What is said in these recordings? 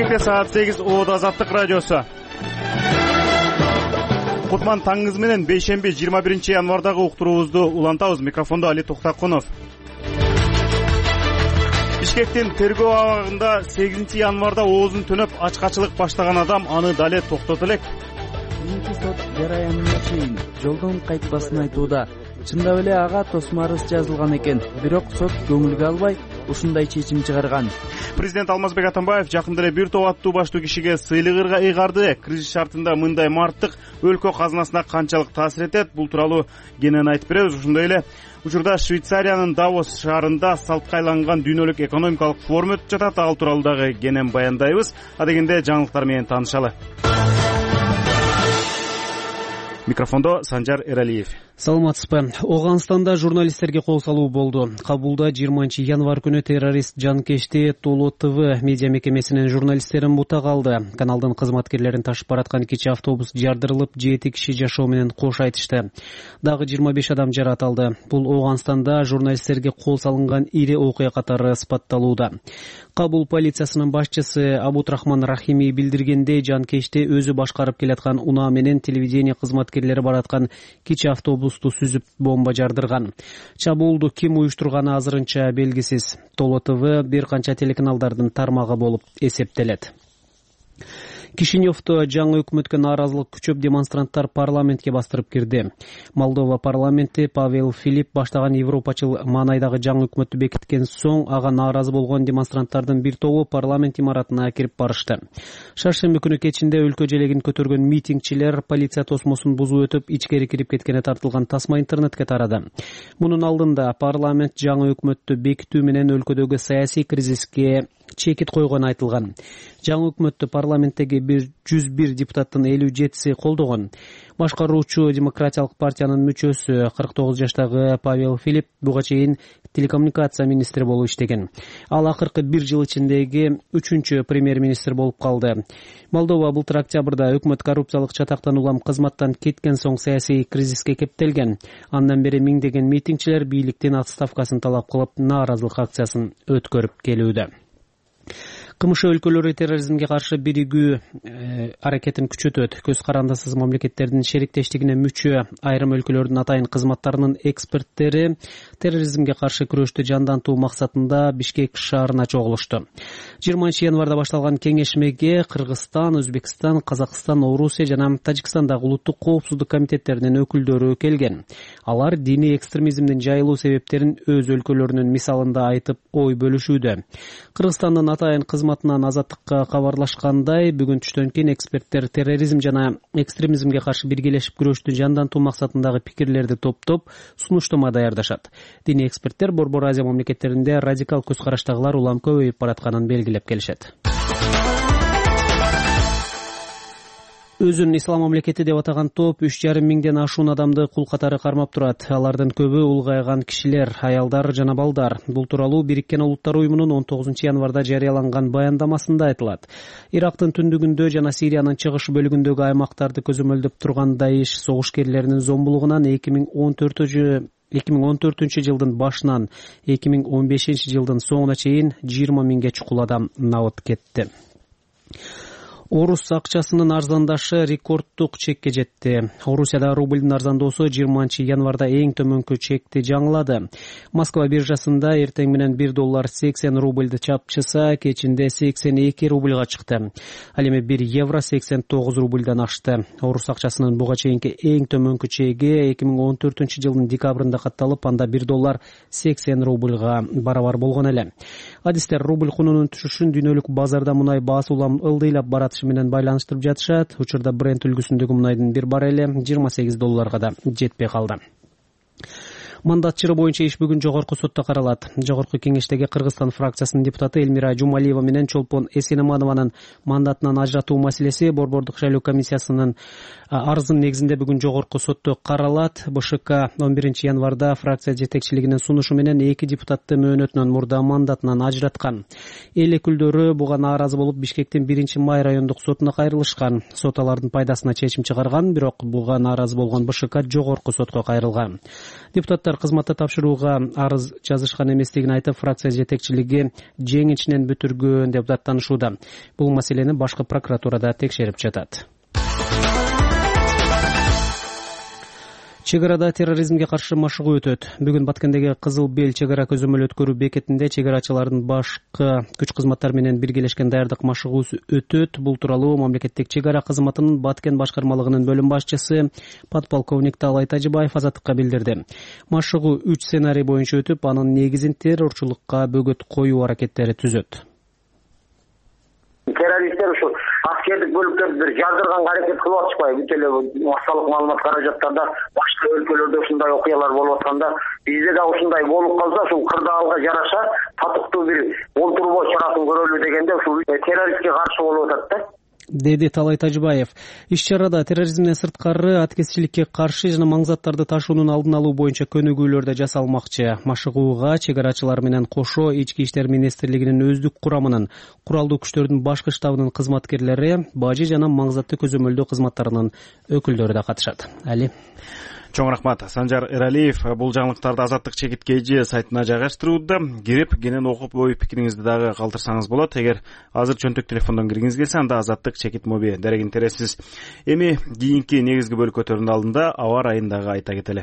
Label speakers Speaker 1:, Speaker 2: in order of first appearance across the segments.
Speaker 1: Бишкекте саат 8 Оодо Азаттык радиосу. Кутман таңыңыз менен бейшемби 21 январдагы уктуруубузду улантабыз. Микрофондо Али Токтакунов. Бишкектин тергөө абагында 8 январда оозун төнөп ачкачылык баштаган адам аны дале токтото элек.
Speaker 2: Сот жараянына чейин жолдон кайтпасын айтууда. Чындап эле ага тосмор арыз жазылган экен, бирок сот көңүлгө албай ушундай чечим чыгарган.
Speaker 1: Президент Алмазбек Атамбаев жакында эле бир топ аттуу баштуу кишиге сыйлык ыйгарды. Кризис шартында мындай марттык өлкө казынасына канчалык таасир этет? Бул тууралуу кенен айтып беребиз. Ошондой эле учурда Швейцариянын Давос шаарында салтка айланган дүйнөлүк экономикалык форум өтүп жатат. Ал тууралуу дагы кенен баяндайбыз. Адегенде жаңылыктар менен таанышалы. Микрофондо Санжар Эралиев.
Speaker 3: Саламатсызбы. Оганстанда журналисттерге кол салуу болду. Кабулда 20 январ күнү террорист жанкечти Толо ТВ медиа мекемесинин журналисттерин бута калды. Каналдын кызматкерлерин ташып бараткан кичи автобус жардырылып, 7 киши жашоо менен кош айтышты. Дагы 25 адам жаракат алды. Бул Оганстанда журналисттерге кол салынган ири окуя катары сыпатталууда. Кабул полициясынын башчысы Абутрахман Рахими билдиргендей, жанкечти өзү башкарып келаткан унаа менен телевидение кызматкерлери бараткан кичи автобусту сүзүп бомба жардырган. Чабуулду ким уюштурганы азырынча белгисиз. Толо ТВ бир канча телеканалдардын тармагы болуп эсептелет. Кишиневдо жаңы өкмөткө нааразылык күчөп демонстранттар парламентке бастырып кирди. Молдова парламенти Павел Филипп баштаган европачыл маанайдагы жаңы өкмөттү бекиткен соң ага нааразы болгон демонстранттардын бир тобу парламент имаратына кирип барышты. Шаршемби күнү кечинде өлкө желегин көтөргөн митингчилер полиция тосмосун бузуп өтүп, ичкери кирип кеткени тартылган тасма интернетке тарады. Мунун алдында парламент жаңы өкмөттү бекитүү менен өлкөдөгү саясий кризиске чекит койгону айтылган. Жаңы өкмөттү парламенттеги 101 депутаттын 57-си колдогон. Башкаруучу демократиялык партиянын мүчөсү 49 жаштагы Павел Филипп буга чейин телекоммуникация министри болуп иштеген. Ал акыркы 1 жыл ичиндеги 3-чү премьер-министр болуп калды. Молдова былтыр октябрда өкмөт коррупциялык чатактан улам кызматтан кеткен соң саясий кризиске кептелген. Андан бери миңдеген митингчилер бийликтин отставкасын талап кылып, нааразылык акциясын өткөрүп келүүдө. КМШ өлкөлөрү терроризмге каршы биригүү аракетин күчөтөт. Көз карандысыз мамлекеттердин шериктештигине мүчө айрым өлкөлөрдүн атайын кызматтарынын эксперттери терроризмге каршы күрөштү жандантуу максатында Бишкек шаарына чогулушту. 20 январда башталган кеңешмеге Кыргызстан, Өзбекстан, Казакстан, Орусия жана Тажикстандагы улуттук коопсуздук комитеттеринин өкүлдөрү келген. Алар диний экстремизмдин жайылуу себептерин өз өлкөлөрүнүн мисалында айтып, ой бөлүшүүдө. Кыргызстандын атайын кызматынан Азаттыкка кабарлашкандай, бүгүн түштөн кийин эксперттер терроризм жана экстремизмге каршы биргелешип күрөштү жандантуу максатындагы пикирлерди топтоп, сунуштама даярдашат. Диний эксперттер Борбор Азия мамлекеттеринде радикал көз караштагылар улам көбөйүп баратканын белгилеп келишет. Өзүн ислам мамлекети деп атаган топ 3,5 миңден ашуун адамды кул катары кармап турат. Алардын көбү улгайган кишилер, аялдар жана балдар. Бул тууралуу Бириккен Улуттар уюмунун 19 январда жарыяланган баяндамасында айтылат. Ирактын түндүгүндө жана Сириянын чыгыш бөлүгүндөгү аймактарды көзөмөлдөп турган Даиш согушкерлеринин зомбулугунан 2014 жылдын башынан 2015 жылдын соңуна чейин 20 миңге чукул адам набыт кетти. Орус акчасынын арзандашы рекордтук чекке жетти. Орусияда рублдун арзандоосу 20 январда эң төмөнкү чекти жаңылады. Москва биржасында эртең менен $1 80 рубльды чапчыса, кечинде 82 рубльга чыкты. Ал эми 1 евро 89 рубльдан ашты. Орус акчасынын буга чейинки эң төмөнкү чеги 2014 жылдын декабрында катталып, анда $1 80 рубльга барабар болгон эле. Адистер рубль кунунун түшүшүн дүйнөлүк базарда мунай баасы улам ылдыйлап барат менен байланыштырып жатышат. Учурда Brent үлгүсүндөгү мунайдын bir барели $28 да жетпей калды. Мандат чыры боюнча иш бүгүн жогорку сотто каралат. Жогорку кеңештеги Кыргызстан фракциясынын депутаты Элмира Жумалиева менен Чолпон Эсенеманованын мандатынан ажыратуу маселеси Борбордук шайлоо комиссиясынын арызынын негизинде бүгүн жогорку сотто каралат. БШК 11 январда фракция жетекчилигинин сунушу менен 2 депутатты мөөнөтүнөн мурда мандатынан ажыраткан. Эл өкүлдөрү буга нааразы болуп Бишкектин 1-май райондук сотуна кайрылышкан. Сот алардын пайдасына чечим чыгарган, бирок буга нааразы болгон БШК жогорку сотко кайрылган. Депутаттар депутаттар кызматты тапшырууга арыз жазышкан эместигин айтып, фракция жетекчилиги жеңишинен бүтүргөн деп даттанышууда. Бул маселени башкы прокуратурада текшерип жатат. Чек арада терроризмге каршы машыгуу өтөт. Бүгүн Баткендеги Кызыл Бел чек ара көзөмөл өткөрүү бекетинде чек арачылардын башкы күч кызматтары менен биргелешкен даярдык машыгуусу өтөт. Бул тууралуу мамлекеттик чек ара кызматынын Баткен башкармалыгынын бөлүм башчысы подполковник Талай Тажибаев Азаттыкка билдирди. Машыгуу 3 сценарий боюнча өтүп, анын негизин террорчулукка бөгөт коюу аракеттери түзөт.
Speaker 4: Террористтер ушу аскердик бөлүктөрдү бир жардырганга аракет кылып атышпайбы? Бүт эле массалык маалымат каражаттарда башка өлкөлөрдө ушундай окуялар болуп атканда, бизде да ушундай болуп калса, ушул кырдаалга жараша татыктуу бир олтурбоо чарасын көрөлү дегенде ушул террористке каршы болуп атат да.
Speaker 3: Деди Талай Тажибаев. Иш-чарада терроризмден сырткары аткезчиликке каршы жана маң заттарды ташуунун алдын алуу боюнча көнүгүүлөр да жасалмакчы. Машыгууга чек арачылар менен кошо Ички иштер министрлигинин өздүк курамынын, куралдуу күчтөрдүн башкы штабынын кызматкерлери, бажы жана маң заттуу көзөмөлдөө кызматтарынын өкүлдөрү да катышат. Али.
Speaker 1: Чоң рахмат. Санжар Эралиев бул жаңылыктарды Азаттык Чекит KG сайтына жайгаштырууда. Кирип, кенен окуп, ой пикириңизди дагы калтырсаңыз болот. Эгер азыр чөнтөк телефондон киргиңиз келсе, анда Азаттык Чекит моби дерегин тересиз. Эми кийинки негизги бөлүкөтөрдүн алдында аба ырайын дагы айта кетели.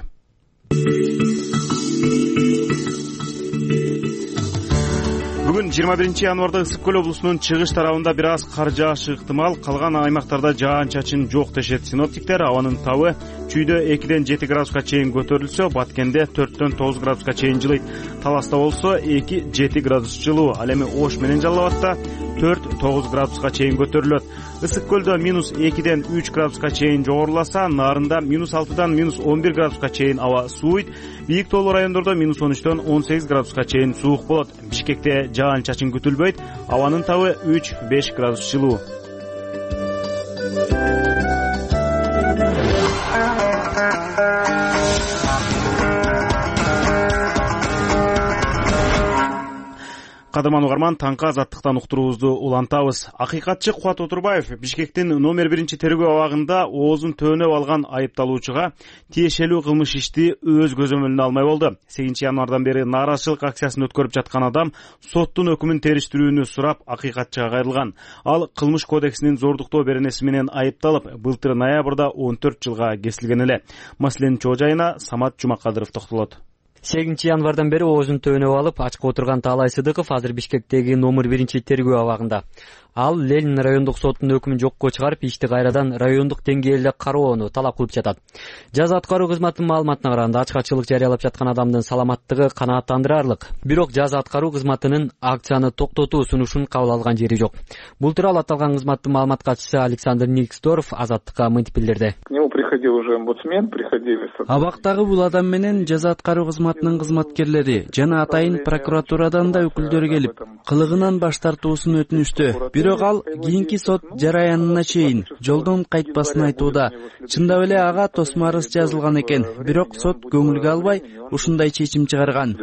Speaker 1: Бүгүн 21-январда Ысык Көл облусунун чыгыш тарабында бир аз кар жаашы ыктымал, калган аймактарда жаан-чачын жок дешет синоптиктер. Абанын табы чүйдө 2-ден 7 градуска чейин көтөрүлсө, Баткенде 4-төн 9 градуска чейин жылыйт. Таласта болсо 2-7 градус жылуу, ал эми Ош менен Жалал Абадта 4-9 градуска чейин көтөрүлөт. Ысык Көлдө -2-ден 3 градуска чейин жогоруласа, Нарында -6-дан -11 градуска чейин аба сууйт. Бийик тоолуу райондордо -13-төн 18 градуска чейин суук болот. Бишкекте жаан-чачын күтүлбөйт. Абанын табы 3-5 градус жылуу. Кадырман угарман, таңкы Азаттыктан уктуруубузду улантабыз. Акыйкатчы Кубат Отурбаев Бишкектин номер 1 тергөө абагында оозун төөнөп алган айыпталуучуга тиешелүү кылмыш ишти өз көзөмөлүнө алмай болду. 8-январдан бери нааразычылык акциясын өткөрүп жаткан адам соттун өкүмүн териштирүүнү сурап акыйкатчыга кайрылган. Ал кылмыш кодексинин зордуктоо беренеси менен айыпталып, былтыр ноябрда 14 жылга кесилген эле. Маселенин чоо жайына Самат Жумакадыров токтолот.
Speaker 5: 8-январдан бери оозун төөнөп алып, ачка отурган Таалай Сыдыков азыр Бишкектеги номер 1 тергөө абагында. Ал Ленин райондук сотунун өкүмүн жокко чыгарып, ишти кайрадан райондук деңгээлде кароону талап кылып жатат. Жаза аткаруу кызматынын маалыматына караганда, ачкачылык жарыялап жаткан адамдын саламаттыгы канааттандырарлык. Бирок жаза аткаруу кызматынын акцияны токтотуу сунушун кабыл алган жери жок. Бул тууралуу аталган кызматтын маалымат катчысы Александр Никсдорф Азаттыкка мынтип билдирди.
Speaker 6: К нему приходил уже омбудсмен, приходили.
Speaker 2: Абактагы бул адам менен жаза аткаруу кызматынын кызматкерлери жана атайын прокуратурадан да өкүлдөрү келип, кылыгынан баш тартуусун өтүнүштү. Бирок ал кийинки сот жараянына чейин жолдон кайтпасын айтууда. Чындап эле ага тосмо арыз жазылган экен, бирок сот көңүлгө албай ушундай чечим чыгарган.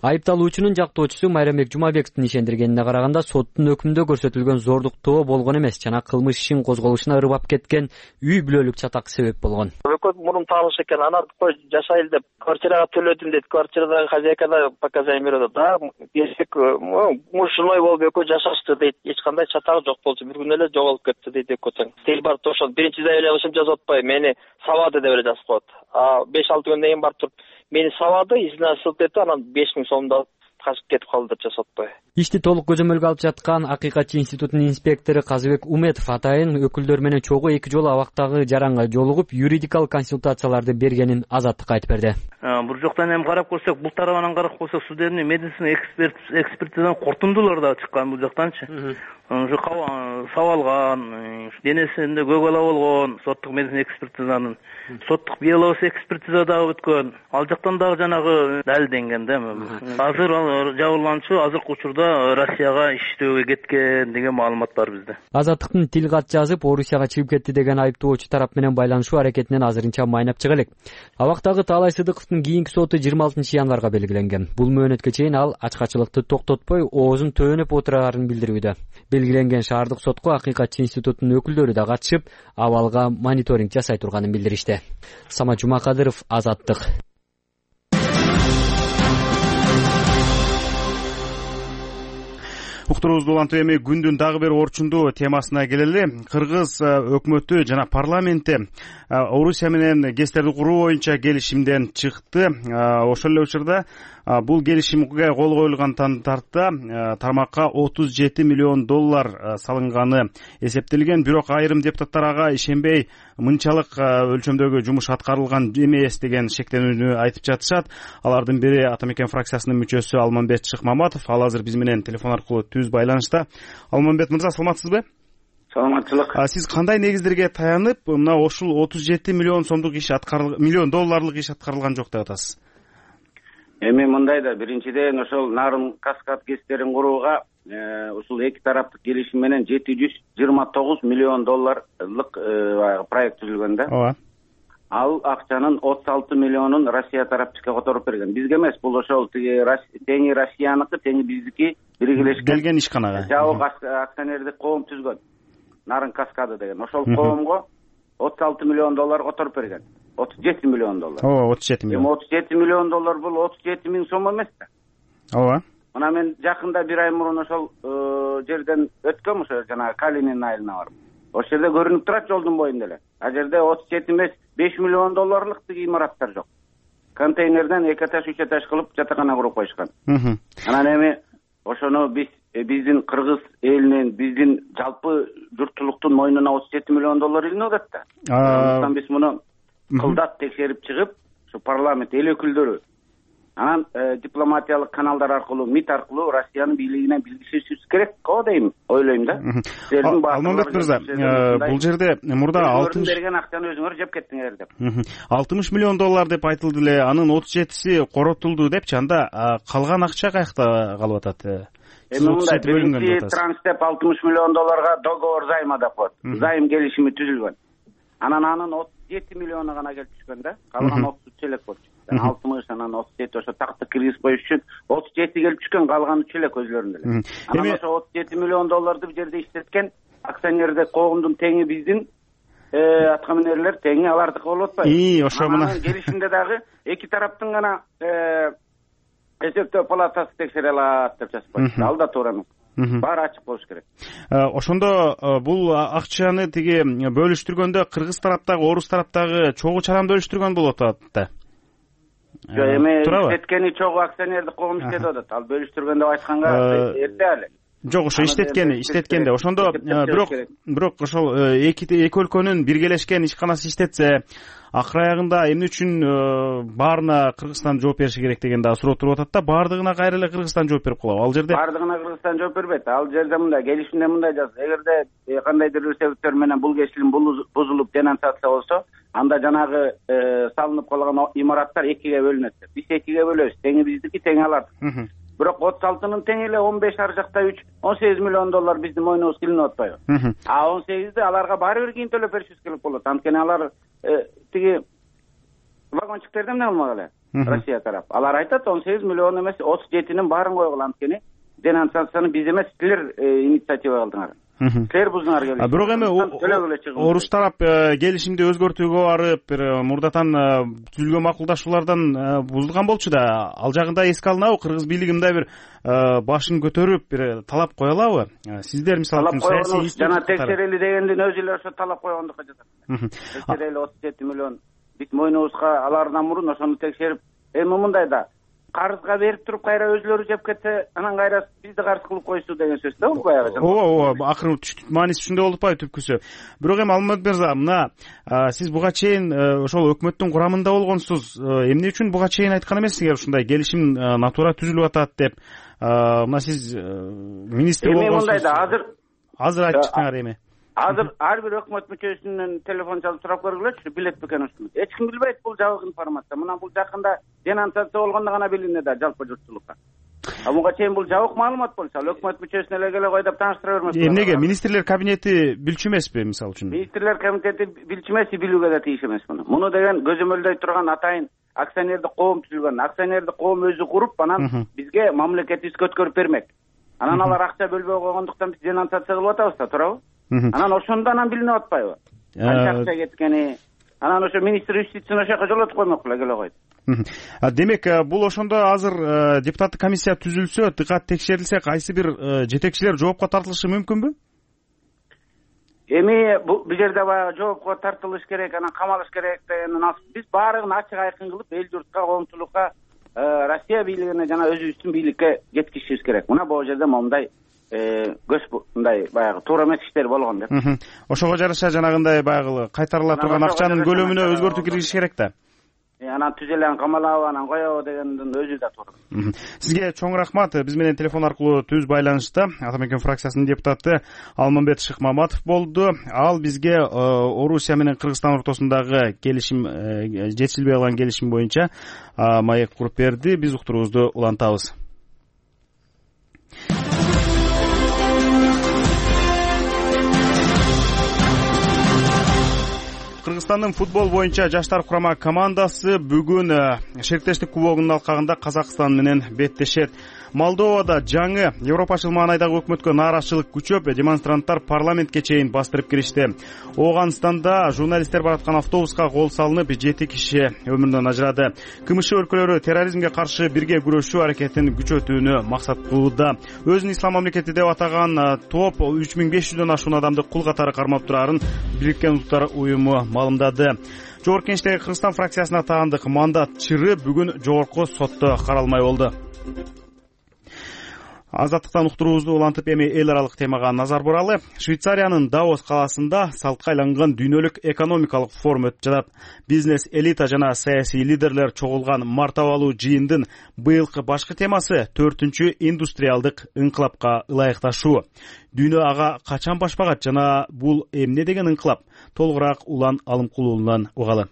Speaker 5: Айыпталуучунун жактоочусу Майрамбек Жумабековдун ишендиргенине караганда, соттун өкүмүндө көрсөтүлгөн зордуктоо болгон эмес, жана кылмыш ишин козголушуна ырбап кеткен үй бүлөлүк чатак себеп болгон.
Speaker 4: Өкөт мурун таалыш экен, анан кой жашайлы деп квартирага төлөдүм дейт. Квартирадагы хозяйка да показания берет. Да, берсек, муж женой болуп экөө жашашты дейт. Эч кандай чатагы жок болчу. Бир күнү эле жоголуп кетти дейт экөөтөн. Тел барып ошол биринчи заявлениесин жазып атпай, мени сабады деп эле жазып коет. 5-6 күндөн кийин барып туруп мени сабады, изине ссылка этти, анан 5000 сомду алып качып кетип калды деп жазып атпай.
Speaker 5: Ишти толук көзөмөлгө алып жаткан Акыйкатчы институтунун инспектору Казыбек Уметов атайын өкүлдөр менен чогуу 2 жолу абактагы жаранга жолугуп, юридикалык консультацияларды бергенин Азаттыкка айтып берди.
Speaker 7: Бул жактан эми карап көрсөк, бул тарабынан карап көрсөк, судебный медицина экспертизадан корутундулар да чыккан бул жактанчы. Ушу сабалган, денесинде көк ала болгон, соттук медицина экспертизанын, соттук биология экспертиза дагы өткөн. Ал жактан дагы жанагы далилденген да. Азыр жабырлануучу азыркы учурда Россияга иштөөгө кеткен деген маалымат бар бизде.
Speaker 5: Азаттыктын тил кат жазып, Орусияга чыгып кетти деген айыптоочу тарап менен байланышуу аракетинен азырынча майнап чыга элек. Абактагы Таалай Сыдыковдун кийинки соту 26-январга белгиленген. Бул мөөнөткө чейин ал ачкачылыкты токтотпой, оозун төөнөп отурарын билдирүүдө. Белгиленген шаардык сотко Акыйкатчы институтунун өкүлдөрү да катышып, абалга мониторинг жасай турганын билдиришти. Самат Жумакадыров, Азаттык.
Speaker 1: уктуруубузду улантып эми күндүн дагы бир орчундуу темасына келели. Кыргыз өкмөтү жана парламенти Орусия менен ГЭСтерди куруу боюнча келишимден чыкты. Ошол эле учурда бул келишимге кол коюлган тарта тармакка $37 миллион салынганы эсептелген. Бирок айрым депутаттар ага ишенбей, мынчалык өлчөмдөгү жумуш аткарылган эмес деген шектенүүнү айтып жатышат. Алардын бири Ата Мекен фракциясынын мүчөсү Алмамбет Шыкмаматов. Ал азыр биз менен телефон аркылуу түз байланышта. Алмамбет мырза, саламатсызбы?
Speaker 6: Саламатчылык.
Speaker 1: Сиз кандай негиздерге таянып мына ушул $37 миллион сомдук иш миллион долларлык иш аткарылган жок деп атасыз?
Speaker 8: Эми мындай да, биринчиден ошол Нарын Каскад ГЭСтерин курууга ушул эки тараптык келишим менен $729 миллион проект түзүлгөн да.
Speaker 1: Ооба.
Speaker 8: Ал акчанын 36 миллионун Россия тарап бизге которуп берген. Бизге эмес, бул ошол теңи Россияныкы, теңи биздики биргелешкен
Speaker 1: келген ишканага.
Speaker 8: Жабык акционердик коом түзгөн. Нарын Каскады деген. Ошол коомго $36 миллион которуп берген. $37 миллион.
Speaker 1: Ооба, 37 миллион.
Speaker 8: Эми $37 миллион бул 37 миң сом эмес да.
Speaker 1: Ооба.
Speaker 8: Мына мен жакында бир ай мурун ошол жерден өткөм, ошо жана Калинин айылына барып. Ошол жерде көрүнүп турат жолдун боюнда эле. А жерде 37 эмес, $5 миллион тиги имараттар жок. Контейнерден 2 этаж 3 этаж кылып жатакана куруп коюшкан. Анан эми ошону биздин кыргыз элинин, биздин жалпы журтчулуктун мойнуна $37 миллион илинип атат да. Андыктан биз муну кылдат текшерип чыгып, ушу парламент эл өкүлдөрү анан дипломатиялык каналдар аркылуу, МИД аркылуу Россиянын бийлигине билгизишибиз керек го дейм, ойлойм да.
Speaker 1: Алмамбет мырза, бул жерде мурда
Speaker 8: берген акчаны өзүңөр жеп кеттиңер деп.
Speaker 1: $60 миллион деп айтылды эле, анын 37си коротулду депчи, анда калган акча каякта калып атат?
Speaker 8: Эми мындай, биринчи транш деп $60 миллион договор займа деп коет. Займ келишими түзүлгөн. Анан анын 37 миллиону гана келип түшкөн да. Калган 33 элек болчу. 60, анан 37 ошо такты киргиз коюш үчүн 37 келип түшкөн, калган 3 элек өзлөрүндө эле. Анан ошо $37 миллион бу жерде иштеткен акционердик коомдун теңи биздин аткаминерлер теңи алардыкы болуп атпайбы?
Speaker 1: Ошо мына
Speaker 8: келишимде дагы эки тараптын гана эсептөө палатасы текшере алат деп жазып коюшту. Ал да туура эмес. Баары ачык болуш керек.
Speaker 1: Ошондо бул акчаны тиги бөлүштүргөндө кыргыз тараптагы, орус тараптагы чогуу чарамда бөлүштүргөн болуп атат да.
Speaker 8: Жок, эми иштеткени чогуу акционердик коом иштетип атат. Ал бөлүштүргөн деп айтканга эрте эле.
Speaker 1: Жок, ошо иштеткенде. Ошондо бирок ошол эки өлкөнүн биргелешкен ишканасы иштетсе, акыр аягында эмне үчүн баарына Кыргызстан жооп бериши керек деген да суроо туруп атат да. Баардыгына кайра эле Кыргызстан жооп берип калабы ал жерде? Баардыгына
Speaker 8: Кыргызстан жооп бербейт. Ал жерде мындай, келишимде мындай жазылат. Эгерде кандайдыр бир себептер менен бул келишим бузулуп денонсация болсо, анда жанагы салынып калган имараттар экиге бөлүнөт. Биз экиге бөлөбүз. Теңи биздики, теңи алардыкы. Бирок 36-нын тең эле 15 ар жакта 3, $18 миллион биздин мойнубузга илинип атпайбы? А 18-ди аларга баары бир кийин төлөп беришибиз керек болот. Анткени алар тиги вагончиктерден эмне кылмак эле? Россия тарап. Алар айтат 18 миллион эмес, 37-нин баарын койгула. Анткени денонсацияны биз эмес, силер инициатива кылдыңар. Силер буздуңар келишимди.
Speaker 1: Бирок эми орус тарап келишимди өзгөртүүгө барып, бир мурдатан түзүлгөн макулдашуулардан бузулган болчу да. Ал жагында эске алынабы? Кыргыз бийлиги мындай бир башын көтөрүп бир талап кое алабы? Сиздер мисалы үчүн саясий
Speaker 8: жана текшерели дегендин өзү эле ошо талап койгондукка жатат. Текшерели 37 миллион бит мойнубузга алардан мурун ошону текшерип, эми мындай да карызга берип туруп кайра өзлөрү жеп кетсе, анан кайра бизди карыз кылып коюшту деген сөз да бул баягы.
Speaker 1: Ооба, акыры мааниси ушундай болуп атпайбы түпкүсү. Бирок эми Алмамбет мырза, мына сиз буга чейин ошол өкмөттүн курамында болгонсуз. Эмне үчүн буга чейин айткан эмессиңер ушундай келишим натура түзүлүп атат деп? Мына сиз министр болгонсуз.
Speaker 8: Эми мындай да,
Speaker 1: азыр айтып чыктыңар эми.
Speaker 8: Азыр ар бир өкмөт мүчөсүнөн телефон чалып сурап көргүлөчү, билет бекен ушуну. Эч ким билбейт, бул жабык информация. Мына бул жакында денонсация болгондо гана билинет да жалпы журтчулукка. А буга чейин бул жабык маалымат болчу, ал өкмөт мүчөсүнө эле келе кой деп тааныштыра бермес.
Speaker 1: Эмнеге? Министрлер кабинети билчү эмеспи, мисалы үчүн?
Speaker 8: Министрлер кабинети билчү эмес, билүүгө да тийиш эмес муну. Муну деген көзөмөлдөй турган атайын акционердик коом түзүлгөн. Акционердик коом өзү куруп, анан бизге мамлекетибизге өткөрүп бермек. Анан алар акча бөлбөй койгондуктан биз денонсация кылып атабыз да, туурабы? Анан ошондо билинип атпайбы? Канча акча кеткени. Анан ошо министр юстицияны ошол жака жолотуп коймок беле келе койду.
Speaker 1: Демек, бул ошондо азыр депутаттык комиссия түзүлсө, дыкат текшерилсе, кайсы бир жетекчилер жоопко тартылышы мүмкүнбү?
Speaker 8: Эми бул жерде баягы жоопко тартылыш керек, анан камалыш керек дегенден биз баарыгын ачык айкын кылып эл журтка, коомчулукка, Россия бийлигине жана өзүбүздүн бийликке жеткизишибиз керек. Мына бул жерде момундай мындай баягы туура эмес иштер болгон деп.
Speaker 1: Ошого жараша жанагындай баягы кайтарыла турган акчанын көлөмүнө өзгөртүү киргизиш керек да.
Speaker 8: Анан түзелен камалабы, анан коебу дегендин өзү да туура.
Speaker 1: Сизге чоң рахмат. Биз менен телефон аркылуу түз байланышта Атамекен фракциясынын депутаты Алмамбет Шыкмаматов болду. Ал бизге Орусия менен Кыргызстан ортосундагы келишим, жетишилбей калган келишим боюнча маек куруп берди. Биз уктуруубузду улантабыз. Кыргызстандын футбол боюнча жаштар курама командасы бүгүн шериктештик кубогунун алкагында Казакстан менен беттешет. Молдовада жаңы Европачыл маанайдагы өкмөткө нааразычылык күчөп, демонстранттар парламентке чейин бастырып киришти. Ооганстанда журналисттер бараткан автобуска кол салынып, 7 киши өмүрүнөн ажырады. КМШ өлкөлөрү терроризмге каршы бирге күрөшүү аракетин күчөтүүнү максат кылууда. Өзүн ислам мамлекети деп атаган топ 3500дөн ашуун адамды кул катары кармап турарын Бириккен Улуттар уюму маалымдады. Жогорку Кеңештеги Кыргызстан фракциясына таандык мандат чыры бүгүн жогорку сотто каралмай болду. Азаттыктан уктуруубузду улантып, эми эл аралык темага назар буралы. Швейцариянын Давос калаасында салтка айланган дүйнөлүк экономикалык форум өтүп жатат. Бизнес элита жана саясий лидерлер чогулган мартабалуу жыйындын быйылкы башкы темасы 4-чү индустриалдык ыңкылапка ылайыкташуу. Дүйнө ага качан баш багат жана бул эмне деген ыңкылап? Толугураак Улан Алымкулуулунан угалы.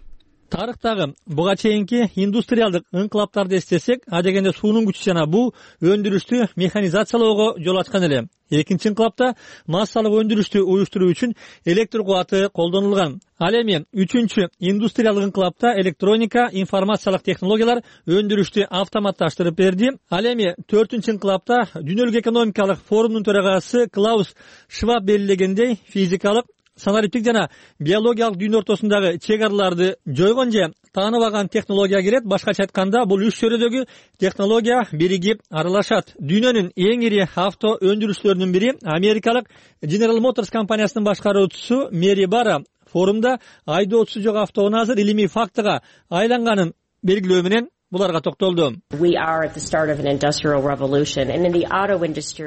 Speaker 9: Тарыхтагы буга чейинки индустриалдык ыңкылаптарды эстесек, адегенде суунун күчү жана бул өндүрүштү механизациялоого жол ачкан эле. Экинчи ыңкылапта массалык өндүрүштү уюштуруу үчүн электр кубаты колдонулган. Ал эми 3-чү индустриалдык ыңкылапта электроника, информациялык технологиялар өндүрүштү автоматташтырып берди. Ал эми 4-чү ыңкылапта дүйнөлүк экономикалык форумдун төрагасы Клаус Шваб белгилегендей, физикалык, санариптик жана биологиялык дүйнө ортосундагы чек араларды жойгон же таанып алган технология кирет. Башкача айтканда, бул үч чөйрөдөгү технология биригип аралашат. Дүйнөнүн эң ири авто өндүрүүчүлөрүнүн бири америкалык General Motors компаниясынын башкаруучусу Мэри Бара форумда айдоочусу жок автоунун азыр илимий фактыга айланганын белгилөө менен буларга токтолду.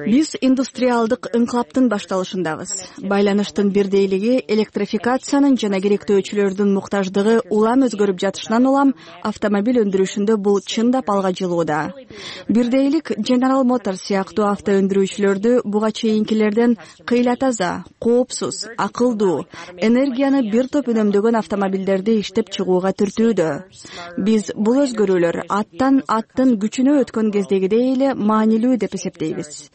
Speaker 10: Биз индустриалдык ыңкылаптын башталышындабыз. Байланыштын бирдейлиги, электрификациянын жана керектөөчүлөрдүн муктаждыгы улам өзгөрүп жатышынан улам автомобиль өндүрүшүндө бул чындап алга жылууда. Бирдейлик General Motors сыяктуу авто өндүрүүчүлөрдү буга чейинкилерден кыйла таза, коопсуз, акылдуу, энергияны бир топ үнөмдөгөн автомобилдерди иштеп чыгууга түртүүдө. Биз бул өзгөрүүлөр аттын күчүнө өткөн кездегидей эле маанилүү деп эсептейбиз.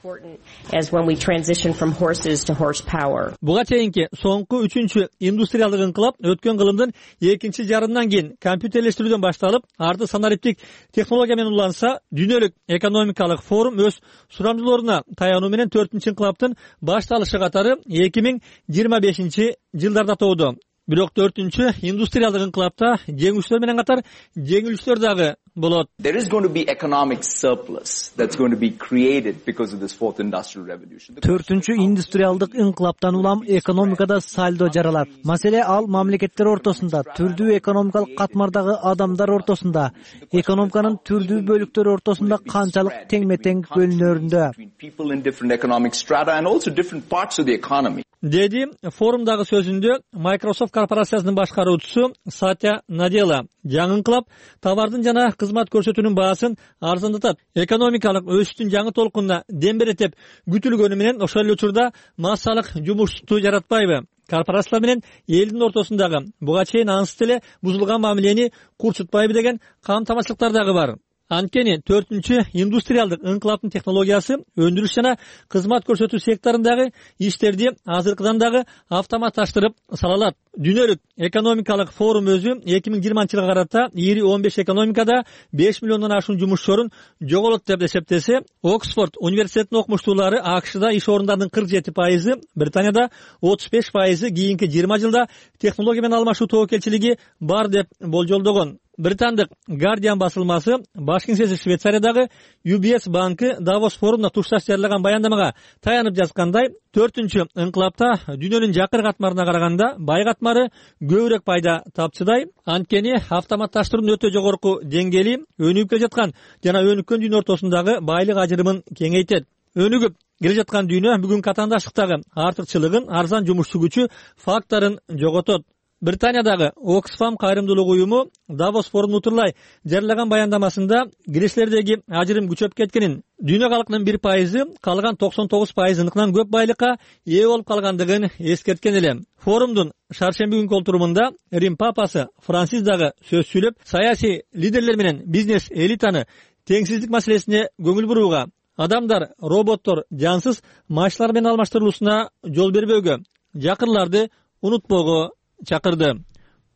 Speaker 9: Буга чейинки соңку 3-чү индустриалдык ыңкылап өткөн кылымдын экинчи жарымынан кийин компьютерлештирүүдөн башталып, арты санариптик технология менен уланса, дүйнөлүк экономикалык форум өз сурамжылооруна таянуу менен 4-чү ыңкылаптын башталышы катары 2025 жылдарда тооду. Бирок 4-чү индустриалдык ыңкылапта жеңүүчүлөр менен катар жеңилүүчүлөр дагы болот.
Speaker 11: There is going to be economic surplus that's going to be created because of this fourth industrial revolution.
Speaker 12: 4-чү индустриалдык ыңкылаптан улам экономикада сальдо жаралат. Маселе ал мамлекеттер ортосунда, түрдүү экономикалык катмардагы адамдар ортосунда, экономиканын түрдүү бөлүктөрү ортосунда канчалык теңме-тең бөлүнөрүндө.
Speaker 11: People in different economic strata and also different parts of the economy.
Speaker 9: Деди форумдагы сөзүндө Microsoft корпорациясынын башкаруучусу Сатя Надела. Жаңы ыңкылап товардын жана кызмат көрсөтүүнүн баасын арзандатат. Экономикалык өсүштүн жаңы толкунуна дем берет деп күтүлгөнү менен ошол эле учурда массалык жумушту жаратпайбы? Корпорациялар менен элдин ортосундагы буга чейин ансыз эле бузулган мамилени курчутпайбы деген камтамашылыктар дагы бар. Анткени 4-чү индустриалдык ыңкылаптын технологиясы өндүрүш жана кызмат көрсөтүү секторундагы иштерди азыркыдан дагы автоматташтырып сала алат. Дүйнөлүк экономикалык форум өзү 2020 жылга карата ири 15 экономикада 5 миллиондон ашуун жумушчорун жоголот деп эсептесе, Оксфорд университетинин окумуштуулары АКШда иш орундарынын 47%, Британияда 35% кийинки 20 жылда технология менен алмашуу тобокелчилиги бар деп болжолдогон. Британдык Guardian басылмасы баш кеңсеси Швейцариядагы UBS банкы Давос форумуна тушташ жарыяган баяндамага таянып жазгандай, 4-чү ыңкылапта дүйнөнүн жакыр катмарына караганда бай катмары көбүрөөк пайда тапчыдай. Анткени автоматташтыруунун өтө жогорку деңгээли өнүгүп келе жаткан жана өнүккөн дүйнө ортосундагы байлык ажырымын кеңейтет. Өнүгүп келе жаткан дүйнө бүгүнкү катаандаштыктагы артыкчылыгын, арзан жумушчу күчү факторун жоготот. Британиядагы Oxfam кайрымдуулук уюму Давос форумун утурлай жарыяган баяндамасында кириштердеги ажырым күчөп кеткенин, дүйнө калкынын 1%, калган 99%-ыныкынан көп байлыкка ээ болуп калгандыгын эскерткен эле. Форумдун шаршемби күнкү олтурумунда Рим папасы Францис дагы сөз сүйлөп, саясий лидерлер менен бизнес элитаны теңсиздик маселесине көңүл бурууга, адамдар, роботтор жансыз машиналар менен алмаштырылуусуна жол бербөөгө, жакырларды унутпоого чакырды.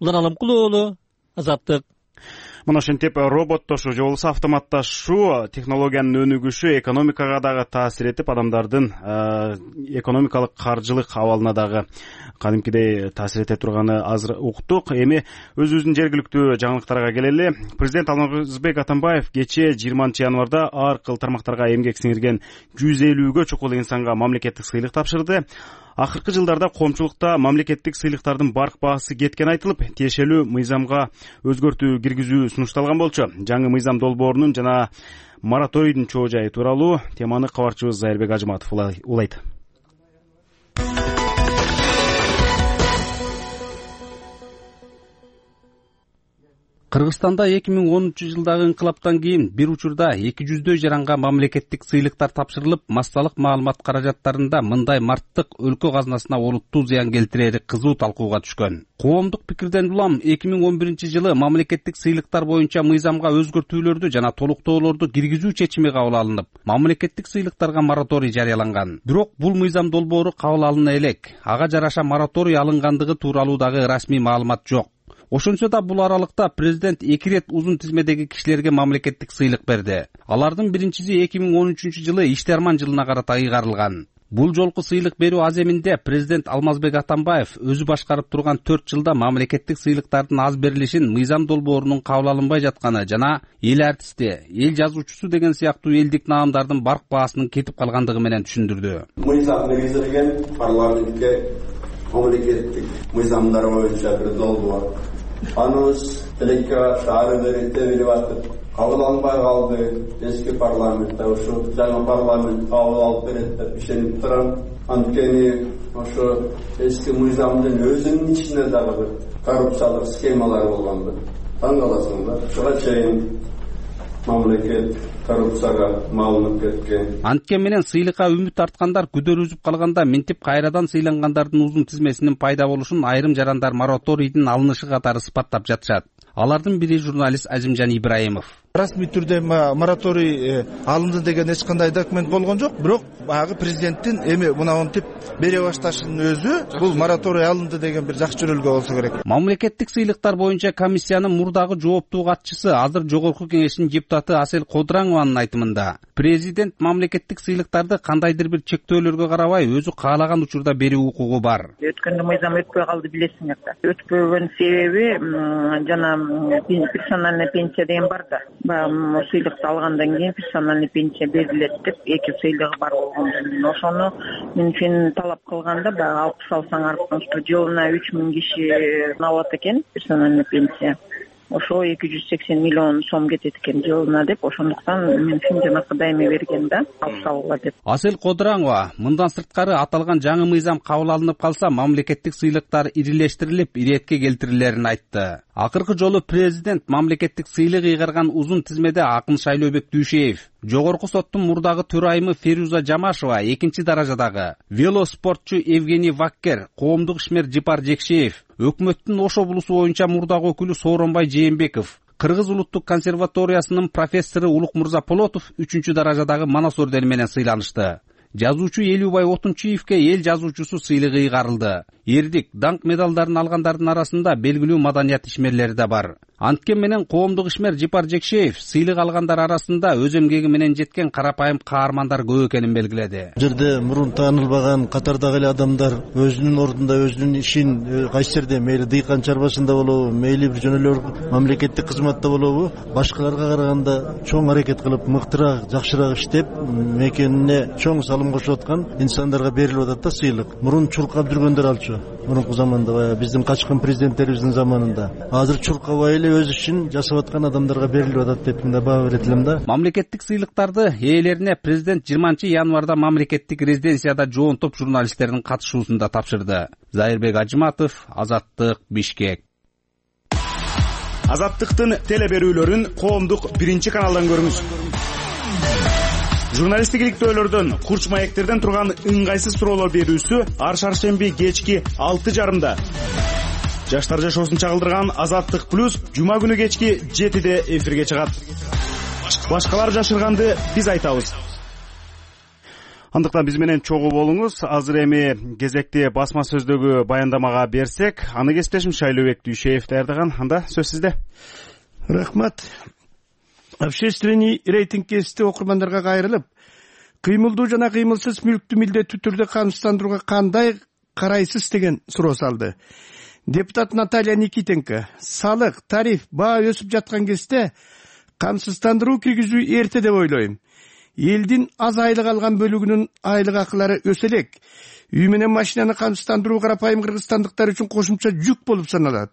Speaker 9: Улан Алымкулуу уулу, Азаттык.
Speaker 1: Мына ошентип роботтошуу же болбосо автоматташуу технологиянын өнүгүшү экономикага дагы таасир этип, адамдардын экономикалык, каржылык абалына дагы кадимкидей таасир эте турганы азыр уктук. Эми өзүбүздүн жергиликтүү жаңылыктарга келели. Президент Алмазбек Атамбаев кечээ 20 январда ар кыл тармактарга эмгек сиңирген 150гө чукул инсанга мамлекеттик сыйлык тапшырды. Акыркы жылдарда коомчулукта мамлекеттик сыйлыктардын барк баасы кеткен айтылып, тиешелүү мыйзамга өзгөртүү киргизүү сунушталган болчу. Жаңы мыйзам долбоорунун жана мораторийдин чоо жайы тууралуу теманы кабарчыбыз Зайырбек Ажыматов улайт.
Speaker 13: Кыргызстанда 2013-жылдагы ыңкылаптан кийин бир учурда 200дөй жаранга мамлекеттик сыйлыктар тапшырылып, массалык маалымат каражаттарында мындай марттык өлкө казынасына олуттуу зыян келтирери кызуу талкууга түшкөн. Коомдук пикирден улам 2011-жылы мамлекеттик сыйлыктар боюнча мыйзамга өзгөртүүлөрдү жана толуктоолорду киргизүү чечими кабыл алынып, мамлекеттик сыйлыктарга мораторий жарыяланган. Бирок бул мыйзам долбоору кабыл алына элек. Ага жараша мораторий алынгандыгы тууралуу дагы расмий маалымат жок. Ошончо да бул аралыкта президент 2 рет узун тизмедеги кишилерге мамлекеттик сыйлык берди. Алардын биринчиси 2013-жылы Ишти-Арман жылына карата ыйгарылган. Бул жолку сыйлык берүү аземинде президент Алмазбек Атамбаев өзү башкарып турган 4 жылда мамлекеттик сыйлыктардын аз берилишин мыйзам долбоорунун кабыл алынбай жатканы жана эл артисти, эл жазуучусу деген сыяктуу элдик наамдардын барк баасынын кетип калгандыгы менен түшүндүрдү.
Speaker 14: Мыйзам негизделген парламентке мамлекеттик мыйзамдар боюнча бир долбоор. Анус тилекке ары бери тебилип атып, кабыл алынбай калды. Эски парламентте ушу жаңы парламент кабыл алып берет деп ишенип турам. Анткени ошо эски мыйзамдын өзүнүн ичинде дагы бир коррупциялык схемалар болгонду. Таң каласыңдар. Ушуга чейин мамлекет коррупцияга малынып кеткен.
Speaker 13: Анткени менен сыйлыкка үмүт арткандар күдөр үзүп калганда минтип кайрадан сыйлангандардын узун тизмесинин пайда болушун айрым жарандар мораторийдин алынышы катары сыпаттап жатышат. Алардын бири журналист Азимжан Ибраимов.
Speaker 15: Расмий түрдө мораторий алынды деген эч кандай документ болгон жок, бирок баягы президенттин эми мынантип бере башташынын өзү бул мораторий алынды деген бир жакшы жөнөлгө болсо керек.
Speaker 13: Мамлекеттик сыйлыктар боюнча комиссиянын мурдагы жооптуу катчысы, азыр жогорку кеңештин депутаты Асел Кодыраңованын айтымында, президент мамлекеттик сыйлыктарды кандайдыр бир чектөөлөргө карабай өзү каалаган учурда берүү укугу бар.
Speaker 16: Өткөндө мыйзам өтпөй калды, билесиңер да. Өтпөгөн себеби жана персональный пенсия деген бар да. Сыйлыкты алгандан кийин персональный пенсия берилет деп 2 сыйлыгы бар болгондон ошону мен талап кылганда баягы 60 алсаңар, жылына 3000 киши алат экен персональный пенсия. Ошо 280 миллион сом кетет экен жылына деп, ошондуктан мен жанакы дайыма берген да, алып салгыла деп.
Speaker 13: Асел Кодыраңова мындан сырткары аталган жаңы мыйзам кабыл алынып калса, мамлекеттик сыйлыктар ирилештирилип, иретке келтирилерин айтты. Акыркы жолу президент мамлекеттик сыйлык ыйгарган узун тизмеде Акын Шайлообек Дүйшеев, жогорку соттун мурдагы төрайымы Феруза Жамашева 2-даражадагы, велоспортчу Евгений Ваккер, коомдук ишмер Жипар Жекшеев, өкмөттүн Ош облусу боюнча мурдагы өкүлү Сооронбай Жээнбеков, Кыргыз улуттук консерваториясынын профессору Улукмурза Полотов 3-даражадагы Манас ордени менен сыйланышты. Жазуучу Элүүбай Отунчиевке эл жазуучусу сыйлыгы ыйгарылды. Эрдик, даңк медалдарын алгандардын арасында белгилүү маданият ишмерлери да бар. Анткени менен коомдук ишмер Жипар Жекшеев сыйлык алгандар арасында өз эмгеги менен жеткен карапайым каармандар көп экенин белгиледи.
Speaker 17: Бул жерде мурун таанылбаган катардагы эле адамдар өзүнүн ордунда өзүнүн ишин кайсы жерде мейли дыйкан чарбасында болобу, мейли бир жөн эле мамлекеттик кызматта болобу, башкаларга караганда чоң аракет кылып, мыктыраак, жакшыраак иштеп, мекенине чоң салым кошуп аткан инсандарга берилип атат да сыйлык. Мурун чуркап жүргөндөр алчу. Мурунку заманда баягы биздин качкын президенттерибиздин заманында. Азыр чуркабай эле өз ишин жасап аткан адамдарга берилип атат деп мында баа берет элем да.
Speaker 13: Мамлекеттик сыйлыктарды ээлерине президент 20-январда мамлекеттик резиденцияда жоонтоп журналисттердин катышуусунда тапшырды. Зайырбек Ажыматов, Азаттык, Бишкек.
Speaker 1: Азаттыктын телеберүүлөрүн коомдук биринчи каналдан көрүңүз. Журналисттик иликтөөлөрдөн, курч маектерден турган ыңгайсыз суроолор берүүсү ар шаршемби кечки 6:30. Жаштар жашоосун чагылдырган Азаттык плюс жума күнү кечки 7:00 эфирге чыгат. Башкалар жашырганды биз айтабыз. Андыктан биз менен чогуу болуңуз. Азыр эми кезекти басма сөздөгү баяндамага берсек, аны кесиптешим Шайлообек Дүйшеев даярдаган. Анда сөз сизде.
Speaker 18: Рахмат. Общественный рейтинг кести окурмандарга кайрылып, кыймылдуу жана кыймылсыз мүлктү милдеттүү түрдө камсыздандырууга кандай карайсыз деген суроо салды. Депутат Наталья Никитенко: салык, тариф, баа өсүп жаткан кезде камсыздандыруу киргизүү эрте деп ойлойм. Элдин аз айлык алган бөлүгүнүн айлык акылары өсө элек. Үй менен машинаны камсыздандыруу карапайым кыргызстандыктар үчүн кошумча жүк болуп саналат.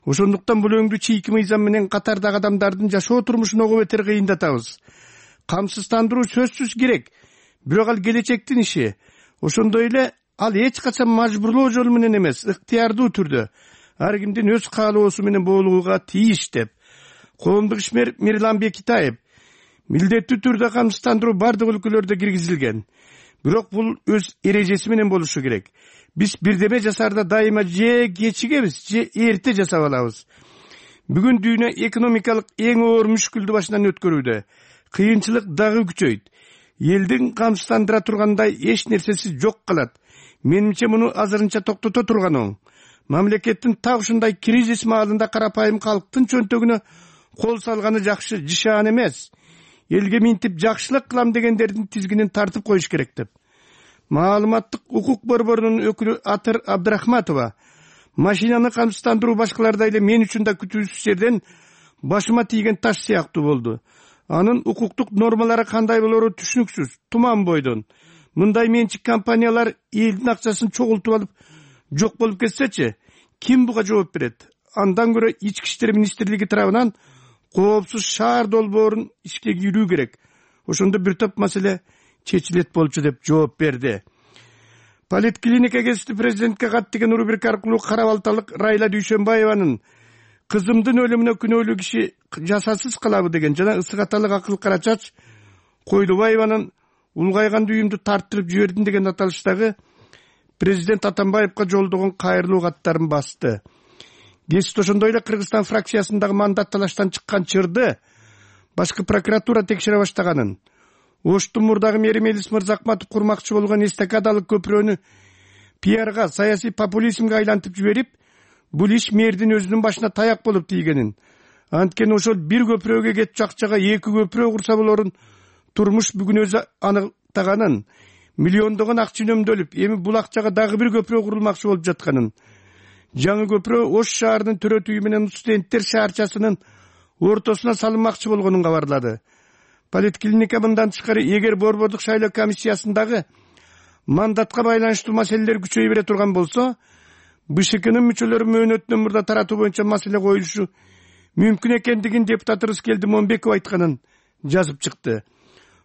Speaker 18: Ошондуктан бул өңдү чийки мыйзам менен катардагы адамдардын жашоо турмушун ого бетер кыйындатабыз. Камсыздандыруу сөзсүз керек, бирок ал келечектин иши. Ошондой эле ал эч качан мажбурлоо жолу менен эмес, ыктыярдуу түрдө ар кимдин өз каалоосу менен болууга тийиш деп. Коомдук ишмер Мирлан Бекитаев: милдеттүү түрдө камсыздандыруу бардык өлкөлөрдө киргизилген. Бирок бул өз эрежеси менен болушу керек. Биз бирдеме жасаарда дайыма же кечигебиз, же эрте жасап алабыз. Бүгүн дүйнө экономикалык эң оор мүшкүлдү башынан өткөрүүдө. Кыйынчылык дагы күчөйт. Элдин камсыздандыра тургандай эч нерсеси жок калат. Менимче муну азырынча токтото турган оң. Мамлекеттин так ушундай кризис маалында карапайым калктын чөнтөгүнө кол салганы жакшы, жишаан эмес. Элге минтип жакшылык кылам дегендердин тизгинин тартып коюш керек деп. Маалыматтык укук борборунун өкүлү Атыр Абдрахматова: машинаны камсыздандыруу башкалардай эле мен үчүн да күтүүсүз жерден башыма тийген таш сыяктуу болду. Анын укуктук нормалары кандай болору түшүнүксүз, туман бойдон. Мындай менчик компаниялар элдин акчасын чогултуп алып жок болуп кетсечи, ким буга жооп берет? Андан көрө Ички иштер министрлиги тарабынан коопсуз шаар долбоорун ишке кирүү керек. Ошондо бир топ маселе чечилет болчу деп жооп берди. Политклиника кесиптүү президентке кат деген рубрика аркылуу Кара Балталык Райла Дүйшөнбаеванын кызымдын өлүмүнө күнөөлүү киши жасасыз калабы деген жана ысык аталык Акыл Карачач Койдубаеванын улгайган дүйүмдү тарттырып жибердим деген аталыштагы президент Атамбаевга жолдогон кайрылуу каттарын басты. Кесип ошондой эле Кыргызстан фракциясындагы мандат талаштан чыккан чырды башкы прокуратура текшере баштаганын, Оштун мурдагы мэри Мелис Мырзакматов курмакчы болгон эстакадалык көпүрөнү пиарга, саясий популизмге айлантып жиберип, бул иш мэрдин өзүнүн башына таяк болуп тийгенин, анткени ошол бир көпүрөгө кетчү акчага 2 көпүрө курса болорун турмуш бүгүн өзү аныктаганын, миллиондогон акча үнөмдөлүп, эми бул акчага дагы бир көпүрө курулмакчы болуп жатканын, жаңы көпүрө Ош шаарынын төрөтүйү менен студенттер шаарчасынын ортосуна салынмакчы болгонун кабарлады. Политклиника мындан тышкары, эгер борбордук шайлоо комиссиясындагы мандатка байланыштуу маселелер күчөйө бере турган болсо, БШКнын мүчөлөрү мөөнөтүнөн мурда таратуу боюнча маселе коюшу мүмкүн экендигин депутат Рыскелди Момбеков айтканын жазып чыкты.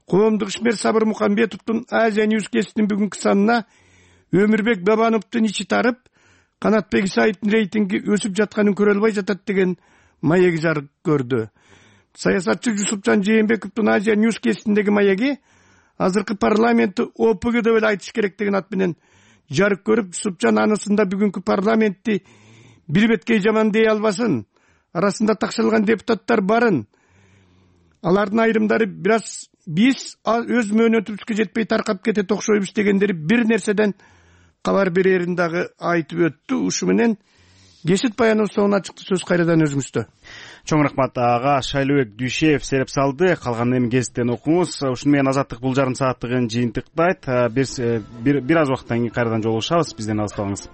Speaker 18: Коомдук ишмер Сабыр Мукамбетовдун Азия Ньюс кесиптин бүгүнкү санына Өмүрбек Бабановдун ичи тарып, Канатбек Исаевдин рейтинги өсүп жатканын көрө албай жатат деген маеги жарык көрдү. Саясатчы Жусупжан Жээнбековдун Азия Ньюс кесиптиндеги маеги азыркы парламентти ОПГ деп эле айтыш керек деген ат менен жарык көрүп, Жусупжан анысында бүгүнкү парламентти бир беткей жаман дей албасын, арасында такшалган депутаттар барын, алардын айрымдары биз өз мөөнөтүбүзгө жетпей таркап кетет окшойбуз дегендери бир нерседен кабар берерин дагы айтып өттү. Ушу менен кесип баяныбыз соңуна чыкты. Сөз кайрадан өзүңүздө.
Speaker 1: Чоң рахмат ага. Шайлообек Дүйшеев сереп салды. Калган эми гезиттен окуңуз. Ушуну менен Азаттык бул жарым сааттыгын жыйынтыктайт. Бир аз убакыттан кийин кайрадан жолугушабыз. Бизден алыстабаңыз.